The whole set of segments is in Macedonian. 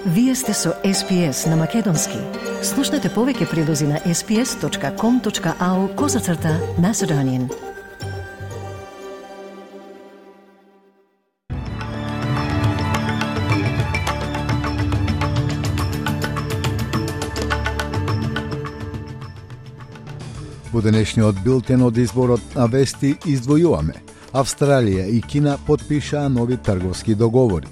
Вие сте со SPS на Македонски. Слушнете повеќе прилози на sps.com.au/Macedonian. Во денешниот билтен од изборот на вести издвојуваме. Австралија и Кина потпишаа нови трговски договори.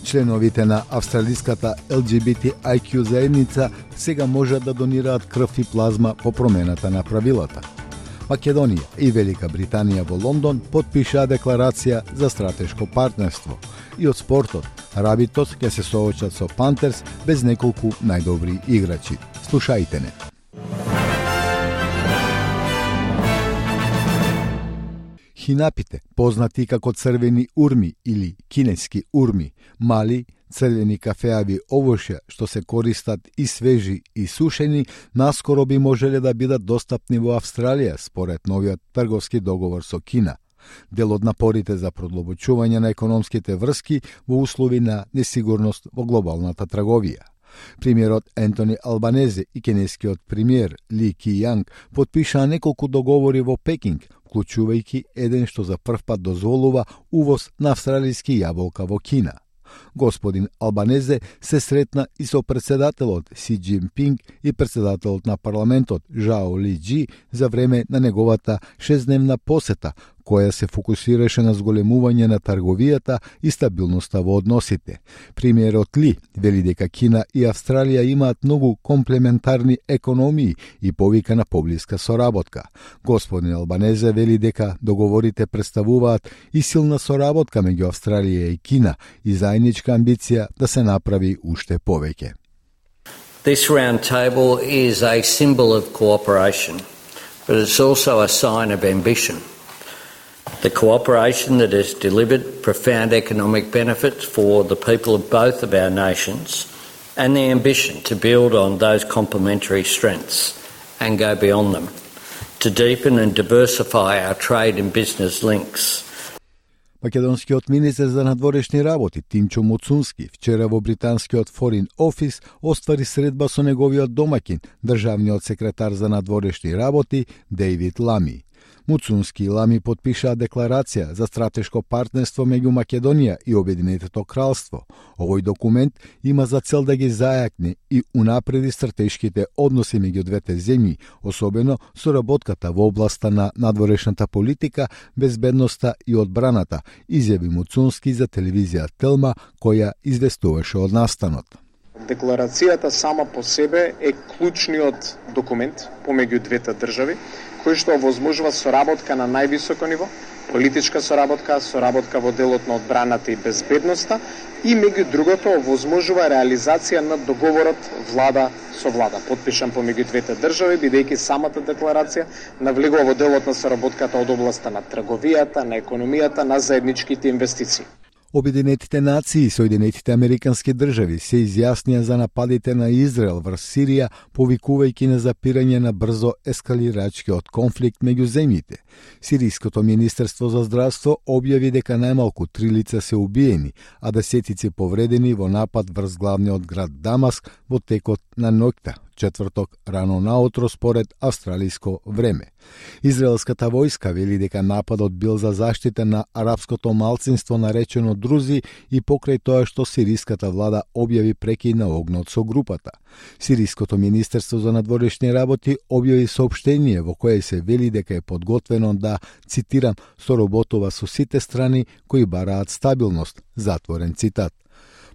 Членовите на австралиската LGBTIQ заедница сега можат да донираат крв и плазма по промената на правилата. Македонија и Велика Британија во Лондон потпишаа декларација за стратешко партнерство. И од спортот, рабитот ќе се соочат со Пантерс без неколку најдобри играчи. Слушајте не. Хинапите, познати како црвени урми или кинески урми, мали, црвени кафеави овошја што се користат и свежи и сушени, наскоро би можеле да бидат достапни во Австралија според новиот трговски договор со Кина. Дел од напорите за продлабочување на економските врски во услови на несигурност во глобалната трговија. Премиерот Ентони Албанезе и кинескиот премиер Ли Ки-јанг потпишаа неколку договори во Пекинг, вклучувајќи еден што за прв пат дозволува увоз на австралиски јаболка во Кина. Господин Албанезе се сретна и со председателот Си Џинпинг и председателот на парламентот Жао Ли Џи за време на неговата 6-дневна посета, која се фокусираше на зголемување на трговијата и стабилноста во односите. Премиерот Ли вели дека Кина и Австралија имаат многу комплементарни економии и повика на поблиска соработка. Господин Албанезе вели дека договорите представуваат и силна соработка меѓу Австралија и Кина и заедничка амбиција да се направи уште повеќе. This round table is a symbol of cooperation, but it's also a sign of ambition. The cooperation that has delivered profound economic benefits for the people of both of our nations, and the ambition to build on those complementary strengths and go beyond them, to deepen and diversify our trade and business links. Македонскиот министер за надворешни работи Тимчо Муцунски вчера во британскиот Foreign Office оствари средба со неговиот домаќин, државниот секретар за надворешни работи Дейвид Лами. Муцунски и Лами потпишаа декларација за стратешко партнерство меѓу Македонија и Обединетото кралство. Овој документ има за цел да ги зајакне и унапреди стратешките односи меѓу двете земји, особено соработката во областа на надворешната политика, безбедноста и одбраната, изјави Муцунски за телевизија Телма, која известуваше од настанот. Декларацијата сама по себе е клучниот документ помеѓу двете држави, кој што овозможува соработка на највисоко ниво, политичка соработка, соработка во делот на одбраната и безбедноста и меѓу другото овозможува реализација на договорот влада со влада, потпишан помеѓу двете држави, бидејќи самата декларација навлегува во делот на соработката од областа на трговијата, на економијата, на заедничките инвестиции. Обединетите нации и Соединетите Американски држави се изјаснија за нападите на Израел врз Сирија, повикувајќи на запирање на брзо ескалирачкиот конфликт меѓу земјите. Сириското министерство за здравство објави дека најмалку 3 лица се убиени, а десетици повредени во напад врз главниот град Дамаск во текот на ноќта, четврток рано наутро според австралиско време. Израелската војска вели дека нападот бил за заштита на арапското малцинство наречено Друзи и покрај тоа што сириската влада објави прекин на огнот со групата. Сириското министерство за надворешни работи објави соопштение во кое се вели дека е подготвено да, цитирам, соработува со сите страни кои бараат стабилност, затворен цитат.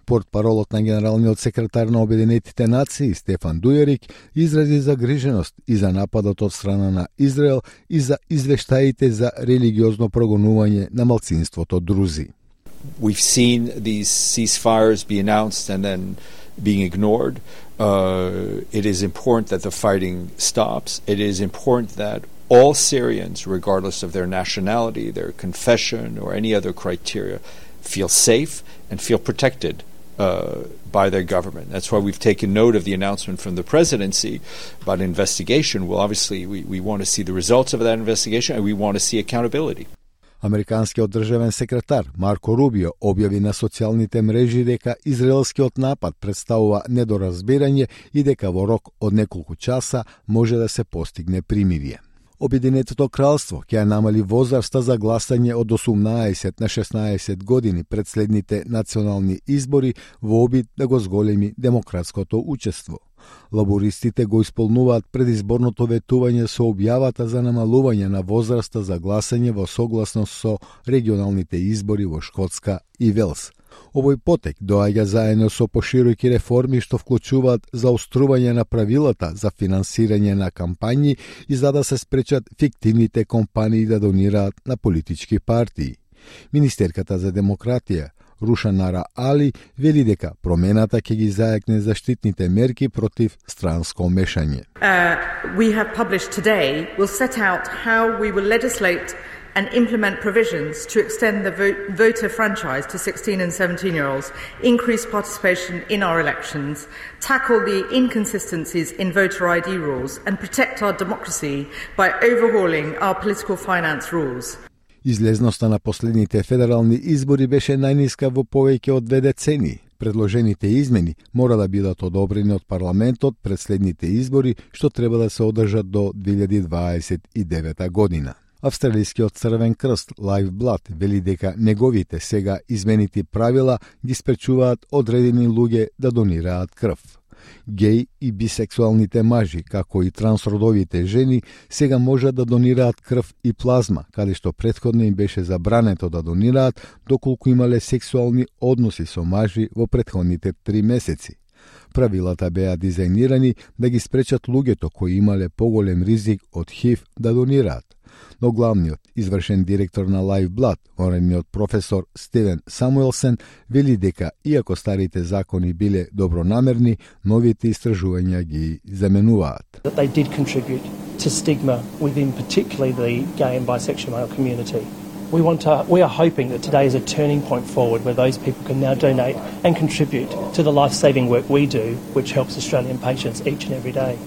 Портпаролот на генералниот секретар на Обединетите нации Стефан Дујерик изрази загриженост и за нападот од страна на Израел и за извештаите за религиозно прогонување на малцинството Друзи. We've seen these ceasefires be announced and then being ignored. It is important that the fighting stops. It is important that all Syrians, regardless of their nationality, their confession, or any other criteria, feel safe and feel protected by their government. That's why we've taken note of the announcement from the presidency about an investigation. Well, obviously, we want to see the results of that investigation and we want to see accountability. Американскиот државен секретар Марко Рубио објави на социјалните мрежи дека израелскиот напад представува недоразбирање и дека во рок од неколку часа може да се постигне примирие. Обединетото кралство ќе намали возраста за гласање од 18 на 16 години пред следните национални избори во обид да го зголеми демократското учество. Лабористите го исполнуваат предизборното ветување со објавата за намалување на возраста за гласање во согласност со регионалните избори во Шкотска и Велс. Овој потек доаѓа заедно со пошироки реформи што вклучуваат заострување на правилата за финансирање на кампањи и за да се спречат фиктивните компании да донираат на политички партии. Министерката за демократија Рушанара Али вели дека промената ќе ги зајакне заштитните мерки против странско мешање. We have published today will set out how we will legislate and implement provisions to extend the voter franchise to 16 and 17-year-olds, increase participation in our elections, tackle the inconsistencies in voter ID rules, and protect our democracy by overhauling our political finance rules. Излезноста на последните федерални избори беше најниска во повеќе од 2 децении. Предложените измени мора да бидат одобрени од парламентот пред следните избори, што треба да се одржат до 2029 година. Австралискиот Црвен крст Live Blood вели дека неговите сега изменити правила ги спречуваат одредени луѓе да донираат крв. Геј и бисексуалните мажи, како и трансродовите жени, сега можат да донираат крв и плазма, каде што претходно им беше забрането да донираат доколку имале сексуални односи со мажи во претходните 3 месеци. Правилата беа дизајнирани да ги спречат луѓето кои имале поголем ризик од ХИВ да донираат. Но главниот извршен директор на Live Blood, военниот професор Стивен Самуелсен, вели дека иако старите закони биле добронамерни, новите истражувања ги заменуваат. That they did contribute to stigma within particularly the gay and bisexual male community. We are hoping that today is a turning point forward where those people can now donate and contribute to the life-saving work we do, which helps Australian patients each and every day.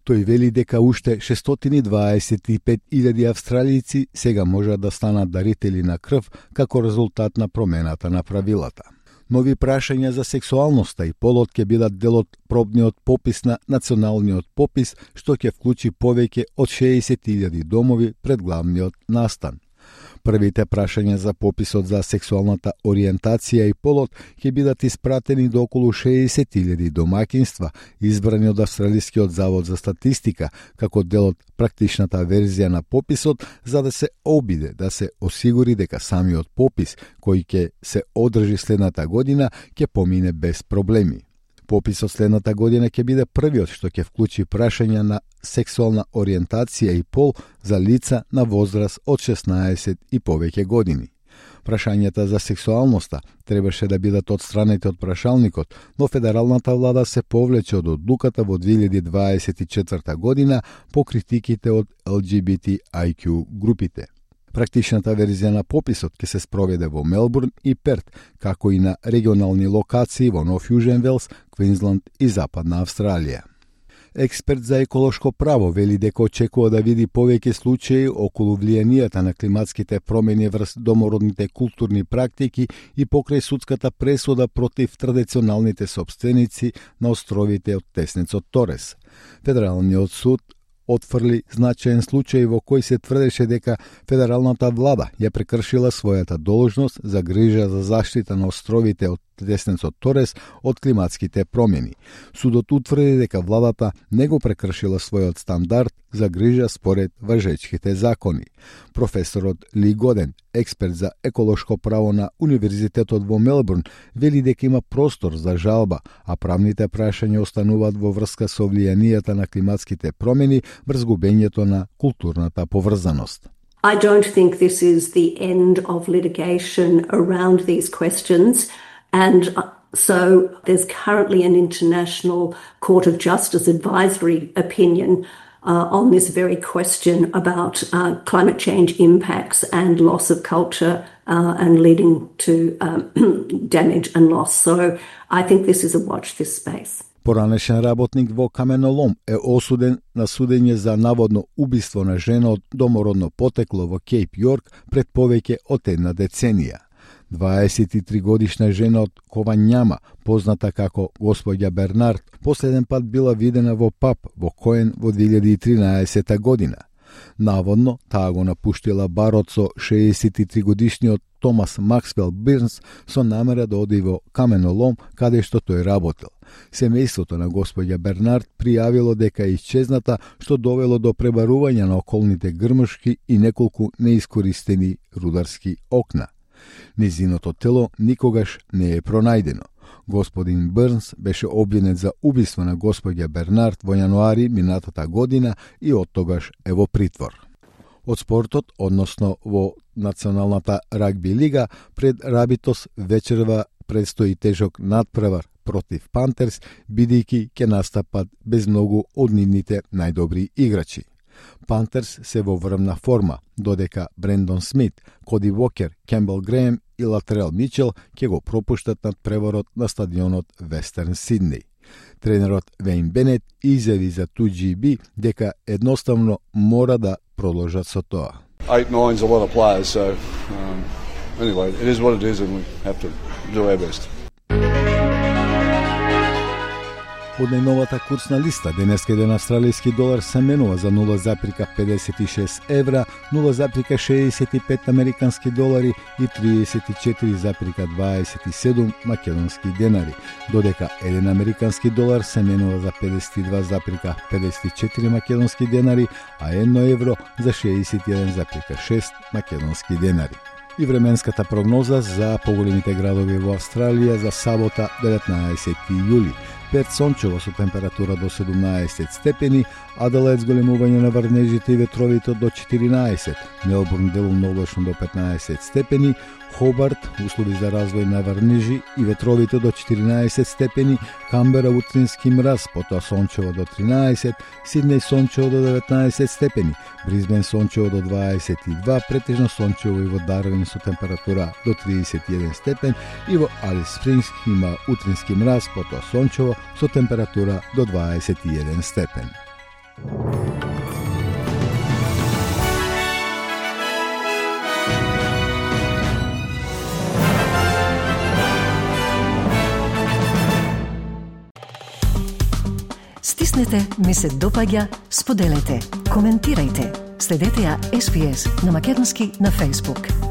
Тој вели дека уште 625.000 австралијци сега можат да станат дарители на крв како резултат на промената на правилата. Нови прашања за сексуалноста и полот ќе бидат дел од пробниот попис на националниот попис, што ќе вклучи повеќе од 60.000 домови пред главниот настан. Првите прашања за пописот за сексуалната ориентација и полот ќе бидат испратени до околу 60.000 домаќинства, избрани од Австралискиот завод за статистика, како дел од практичната верзија на пописот, за да се обиде да се осигури дека самиот попис, кој ќе се одржи следната година, ќе помине без проблеми. Пописот следната година ќе биде првиот што ќе вклучи прашања на сексуална ориентација и пол за лица на возраст од 16 и повеќе години. Прашањата за сексуалноста требаше да бидат отстранети од прашалникот, но федералната влада се повлече од одлуката во 2024 година по критиките од LGBTIQ групите. Практичната верзија на пописот ќе се спроведе во Мелбурн и Перт, како и на регионални локации во Нов Јужен Велс, Квинсланд и Западна Австралија. Експерт за еколошко право вели дека очекува да види повеќе случаи околу влијанијата на климатските промени врз домородните културни практики и покрај судската пресуда против традиционалните сопственици на островите од теснецот Торес. Федералниот суд отфрли значаен случај во кој се тврдеше дека федералната влада ја прекршила својата должност за грижа за заштита на островите од теснецот Торес од климатските промени. Судот утврди дека владата не го прекршила својот стандард за грижа според важечките закони. Професорот Ли Годен, експерт за еколошко право на Универзитетот во Мелбурн, вели дека има простор за жалба, а правните прашања остануваат во врска со влијанијата на климатските промени врз губењето на културната поврзаност. I don't think this is the end of litigation around these questions, and so there's currently an International Court of Justice advisory opinion on this very question about climate change impacts and loss of culture and leading to damage and loss. So I think this is a watch this space. Поранешен работник во каменолом е осуден на судење за наводно убиство на жена од домородно потекло во Кейп Јорк пред повеќе од една деценија. 23 годишна жена од Кованјама, позната како господја Бернард, последен пат била видена во паб во Коен во 2013 година. Наводно, таа го напуштила барот со 63 годишниот Томас Максвел Бирнс со намера да оди во каменолом каде што тој работел. Семејството на господја Бернард пријавило дека е исчезната, што довело до пребарување на околните грмушки и неколку неискористени рударски окна. Незиното тело никогаш не е пронајдено. Господин Бирнс беше обвинет за убиство на господја Бернард во јануари минатата година и оттогаш е во притвор. Од спортот, односно во Националната рагби лига, пред Рабитос вечерва предстои тежок надпревар против Пантерс, бидејќи ќе настапат без многу од нивните најдобри играчи. Пантерс се во врвна форма, додека Брендон Смит, Коди Вокер, Кембел Греем и Латрел Мичел ќе го пропуштат надпреварот на стадионот Вестерн Сиднеј. Тренерот Вейн Бенет изјави за 2GB дека едноставно мора да продолжат со тоа. 8-9's a lot of players, so anyway, it is what it is and we have to do our best. Од најновата курсна листа, денеска еден австралијски долар се менува за 0,56 евра, 0,65 американски долари и 34,27 македонски денари, додека еден американски долар се менува за 52,54 македонски денари, а 1 евро за 61,6 македонски денари. И временската прогноза за поголемите градови во Австралија за сабота 19 јули. Перт сончево со температура до 17 степени, Аделаид зголемување на врнежите и ветровите до 14, Мелбурн делумно облачно до 15 степени, Хобарт услови за развој на врнежи и ветровите до 14 степени, Камбера утрински мраз, потоа сончево до 13, Сиднеј сончево до 19 степени, Брисбен сончево до 22, претежно сончево и во Дарвин со температура до 31 степен и во Алис Спрингс има утрински мраз, потоа сончево со температура до 21 степен. Стиснете, ми се допаѓа, споделете, коментирајте. Следете ја SPS на Македонски на Facebook.